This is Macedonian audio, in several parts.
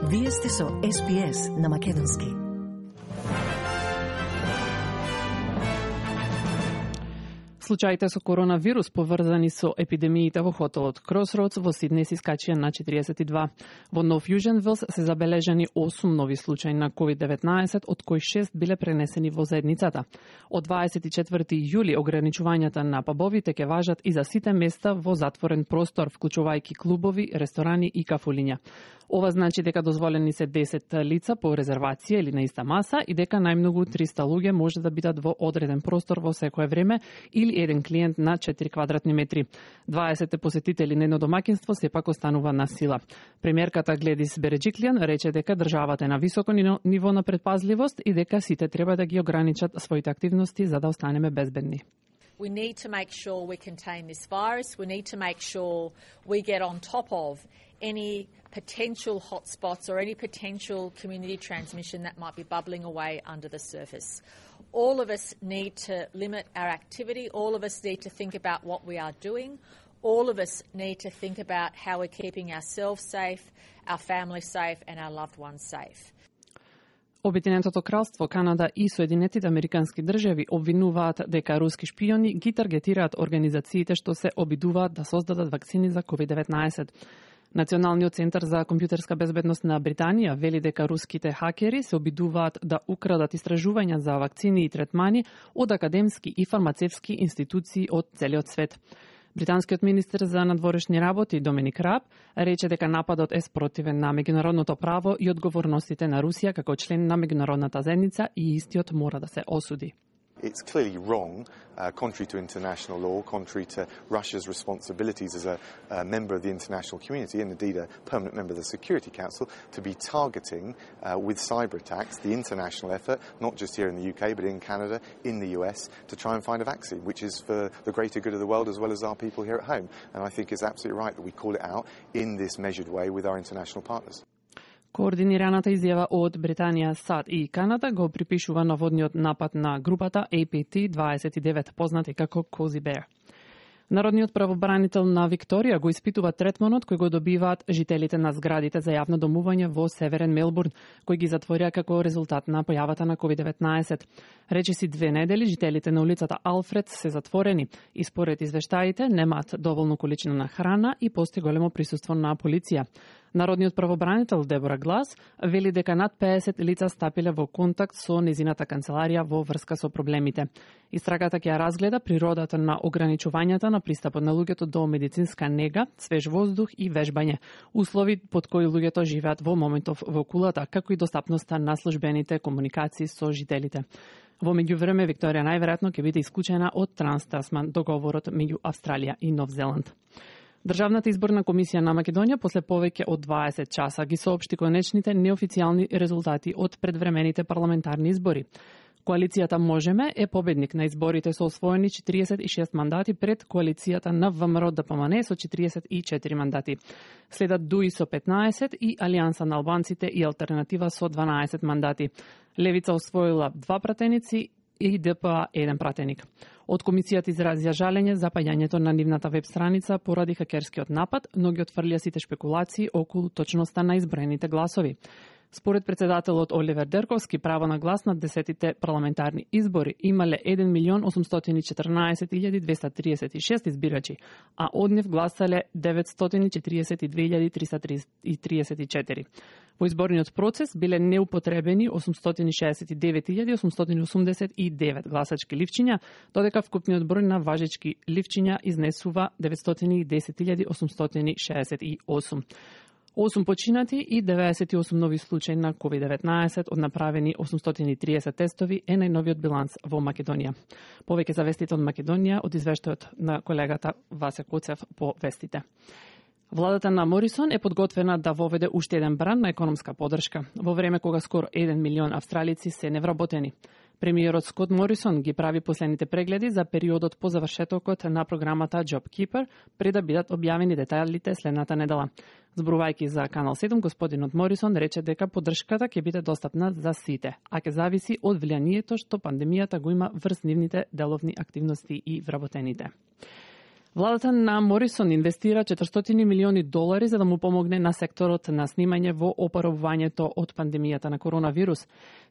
Вие сте со SPS на Македонски. Случаите со коронавирус поврзани со епидемиите во хотелот Crossroads во Сиднеј се искачија на 42. Во Нов Јужен Велс се забележани 8 нови случаи на COVID-19, од кои 6 биле пренесени во заедницата. Од 24 јули ограничувањата на пабовите ќе важат и за сите места во затворен простор, вклучувајќи клубови, ресторани и кафулиња. Ова значи дека дозволени се 10 лица по резервација или на иста маса и дека најмногу 300 луѓе може да бидат во одреден простор во секое време или еден клиент на 4 квадратни метри. 20 посетители на едно домаќинство сепак останува на сила. Премиерката Гледис Береджиклијан рече дека државата е на високо ниво на предпазливост и дека сите треба да ги ограничат своите активности за да останеме безбедни. We need to make sure we contain this virus. We need to make sure we get on top of any potential hotspots or any potential community transmission that might be bubbling away under the surface. All of us need to limit our activity. All of us need to think about what we are doing. All of us need to think about how we're keeping ourselves safe, our family safe, and our loved ones safe. Обединетото кралство, Канада и Соединетите Американски држави обвинуваат дека руски шпиони ги таргетираат организациите што се обидуваат да создадат вакцини за COVID-19. Националниот центар за компјутерска безбедност на Британија вели дека руските хакери се обидуваат да украдат истражувања за вакцини и третмани од академски и фармацевски институции од целиот свет. Британскиот министер за надворешни работи Доминик Раб рече дека нападот е спротивен на меѓународното право и одговорностите на Русија како член на меѓународната заедница и истиот мора да се осуди. It's clearly wrong, contrary to international law, contrary to Russia's responsibilities as a member of the international community and indeed a permanent member of the Security Council, to be targeting with cyber attacks the international effort, not just here in the UK but in Canada, in the US, to try and find a vaccine, which is for the greater good of the world as well as our people here at home. And I think it's absolutely right that we call it out in this measured way with our international partners. Координираната изјава од Британија, САД и Канада го припишува наводниот напад на групата APT-29, познати како Cozy Bear. Народниот правобранител на Викторија го испитува третманот кој го добиваат жителите на зградите за јавно домување во Северен Мелбурн, кои ги затворија како резултат на појавата на COVID-19. Речиси 2 недели жителите на улицата Алфред се затворени и според извештаите немаат доволно количина на храна и постои големо присуство на полиција. Народниот правобранител Дебора Глас вели дека над 50 лица стапиле во контакт со незината канцеларија во врска со проблемите. Истрагата ќе ја разгледа природата на ограничувањата на пристапот на луѓето до медицинска нега, свеж воздух и вежбање, услови под кои луѓето живеат во моментов во кулата, како и достапноста на службените комуникации со жителите. Во меѓувреме, Викторија најверојатно ќе биде исклучена од Транс-Тасман, договорот меѓу Австралија и Нов Зеланд. Државната изборна комисија на Македонија после повеќе од 20 часа ги соопшти конечните неофицијални резултати од предвремените парламентарни избори. Коалицијата Можеме е победник на изборите со освоени 46 мандати пред коалицијата на ВМРО ДПМН со 44 мандати. Следат ДУИ со 15 и Алијанса на албанците и Алтернатива со 12 мандати. Левица освоила 2 пратеници и ДПА 1 пратеник. Од комисијата изразија жалење за паѓањето на нивната веб страница поради хакерскиот напад, но ги отфрлија сите спекулации околу точноста на изброените гласови. Според председателот Оливер Дерковски, право на глас на 10-тите парламентарни избори имале 1.814.236 избирачи, а од нив гласале 942.334. Во изборниот процес биле неупотребени 869.889 гласачки ливчиња, додека вкупниот број на важечки ливчиња изнесува 910.868. 8 починати и 98 нови случаи на COVID-19 од направени 830 тестови е најновиот биланс во Македонија. Повеќе за вестите од Македонија од извештајот на колегата Васе Коцев по вестите. Владата на Морисон е подготвена да воведе уште еден бранд на економска поддршка, во време кога скоро 1 милион австралици се невработени. Премиерот Скот Морисон ги прави последните прегледи за периодот по завршетокот на програмата JobKeeper пред да бидат објавени детајлите следната недела. Зборувајќи за Канал 7, господинот Морисон рече дека поддршката ќе биде достапна за сите, а ќе зависи од влијанието што пандемијата го има врз нивните деловни активности и вработените. Владата на Морисон инвестира $400 милиони за да му помогне на секторот на снимање во опоравувањето од пандемијата на коронавирус.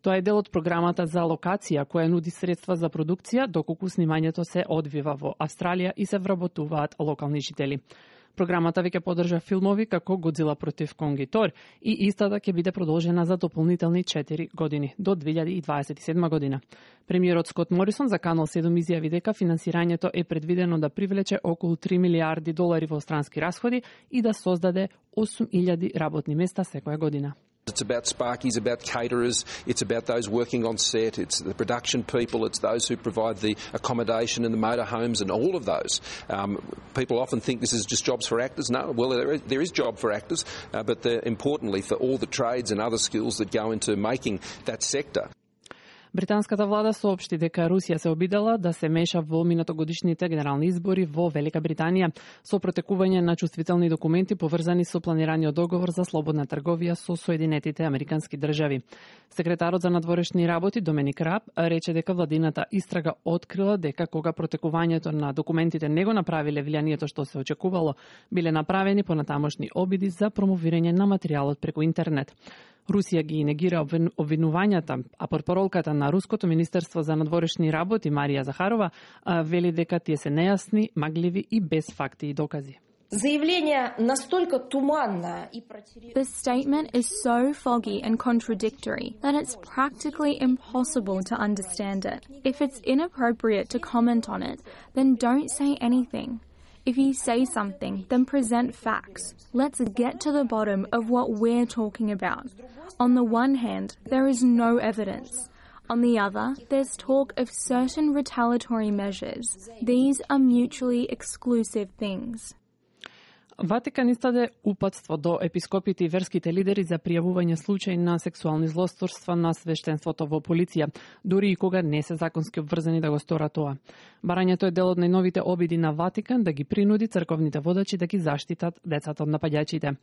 Тоа е дел од програмата за локација која нуди средства за продукција доколку снимањето се одвива во Австралија и се вработуваат локални жители. Програмата веќе поддржа филмови како Годзила против Конг и Тор и истата ќе биде продолжена за дополнителни 4 години до 2027 година. Премиерот Скот Морисон за Канал 7 изјави дека финансирањето е предвидено да привлече околу $3 милиарди во странски расходи и да создаде 8.000 работни места секоја година. It's about sparkies, about caterers, it's about those working on set, it's the production people, it's those who provide the accommodation and the motorhomes and all of those. People often think this is just jobs for actors. No, well, there is job for actors, but importantly for all the trades and other skills that go into making that sector. Британската влада соопшти дека Русија се обидела да се меша во минатогодишните генерални избори во Велика Британија со протекување на чувствителни документи поврзани со планираниот договор за слободна трговија со Соединетите Американски држави. Секретарот за надворешни работи Доминик Раб рече дека владината истрага открила дека кога протекувањето на документите не го направиле влијанието што се очекувало, биле направени понатамошни обиди за промовирање на материјалот преку интернет. Русија ги негира обвинувањата, а портпаролката на Руското министерство за надворешни работи Марија Захарова вели дека тие се нејасни, магливи и без факти и докази. The statement is so foggy and contradictory that it's practically impossible to understand it. If it's inappropriate to comment on it, then don't say anything. If you say something, then present facts. Let's get to the bottom of what we're talking about. On the one hand, there is no evidence. On the other, there's talk of certain retaliatory measures. These are mutually exclusive things. Ватикан издаде упатство до епископите и верските лидери за пријавување случаи на сексуални злосторства на свештенството во полиција, дури и кога не се законски обврзани да го сторат тоа. Барањето е дел од најновите обиди на Ватикан да ги принуди црковните водачи да ги заштитат децата од напаѓачите.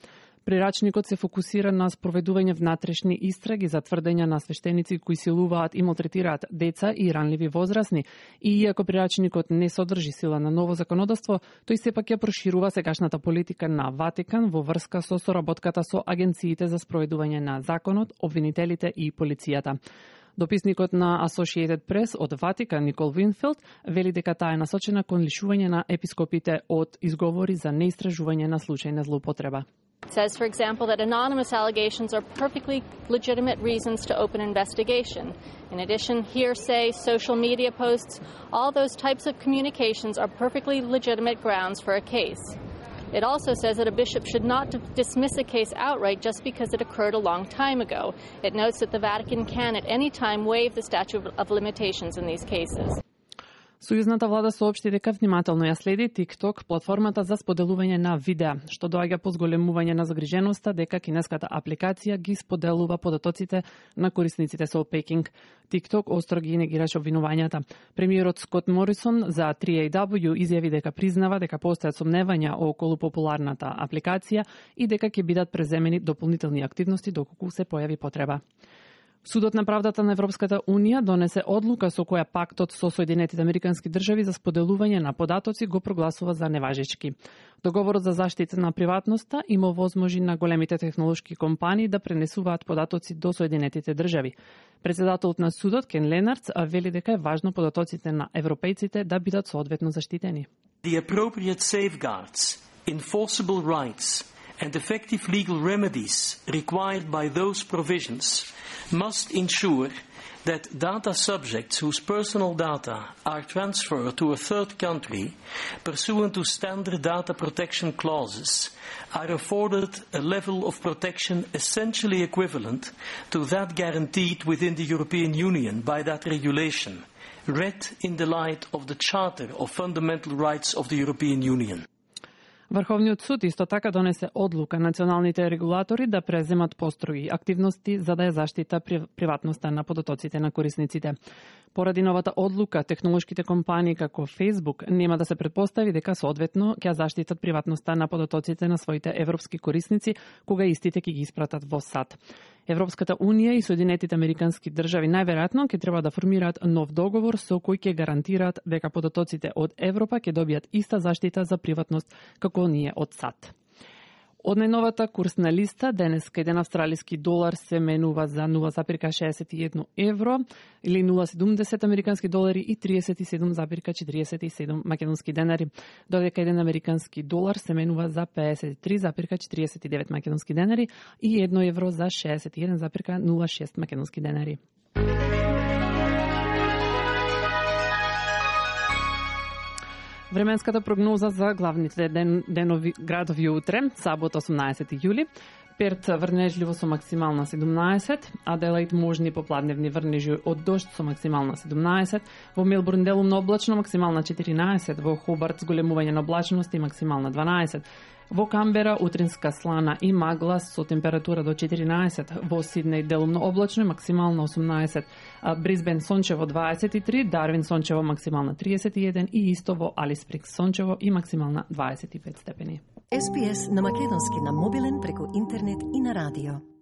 Прирачникот се фокусира на спроведување внатрешни истраги за тврдења на свештеници кои силуваат и малтретираат деца и ранливи возрасни, и иако прирачникот не содржи сила на ново законодавство, тој сепак ја проширува сегашната политика на Ватикан во врска со соработката со агенциите за спроведување на законот, обвинителите и полицијата. Дописникот на Associated Press од Ватикан Никол Винфилд вели дека таа е насочена кон лишување на епископите од изговори за неистражување на случај на злоупотреба. It says, for example, that anonymous allegations are perfectly legitimate reasons to open an investigation. In addition, hearsay, social media posts, all those types of communications are perfectly legitimate grounds for a case. It also says that a bishop should not dismiss a case outright just because it occurred a long time ago. It notes that the Vatican can at any time waive the statute of limitations in these cases. Сојузната влада соопшти дека внимателно ја следи TikTok, платформата за споделување на видеа, што доаѓа по зголемување на загриженоста дека кинеската апликација ги споделува податоците на корисниците со Пекинг. TikTok остро ги негираше обвинувањата. Премиерот Скот Морисон за 3AW изјави дека признава дека постојат сомневања околу популарната апликација и дека ќе бидат преземени дополнителни активности доколку се појави потреба. Судот на правдата на Европската Унија донесе одлука со која пактот со Соединетите Американски држави за споделување на податоци го прогласува за неважечки. Договорот за заштита на приватноста има возможи на големите технолошки компании да пренесуваат податоци до Соединетите држави. Председателот на судот Кен Ленардс вели дека е важно податоците на европејците да бидат соодветно заштитени. The appropriate safeguards, enforceable rights and effective legal remedies required by those provisions must ensure that data subjects whose personal data are transferred to a third country pursuant to standard data protection clauses are afforded a level of protection essentially equivalent to that guaranteed within the European Union by that regulation, read in the light of the Charter of Fundamental Rights of the European Union. Врховниот суд исто така донесе одлука националните регулатори да преземат построги активности за да ја заштита приватноста на податоците на корисниците. Поради новата одлука, технолошките компании како Facebook нема да се претпостави дека соодветно ќе заштитат приватноста на податоците на своите европски корисници кога истите ќе ги испратат во САД. Европската Унија и Соединетите Американски држави најверојатно ќе треба да формираат нов договор со кој ќе гарантираат дека податоците од Европа ќе добијат иста заштита за приватност како оние од САД. Од најновата курсна листа, денеска еден австралиски долар се менува за 0,61 евро или 0,70 американски долари и 37,47 македонски денари, додека еден американски долар се менува за 53,49 македонски денари и 1 евро за 61,06 македонски денари. Временската прогноза за главните градови утре, сабота 18 јули. Перт врнежливо со максимална 17, Аделаид можни попладневни врнежи од дожд со максимална 17, во Мелбурн делумно облачно максимална 14, во Хобарт зголемување на облачност и максимална 12, во Камбера утринска слана и магла со температура до 14, во Сиднеј делумно облачно и максимална 18, Брисбен сончево 23, Дарвин сончево максимална 31 и исто во Алис Спрингс сончево и максимална 25 степени. SPS на македонски на мобилен преку интернет и на радио.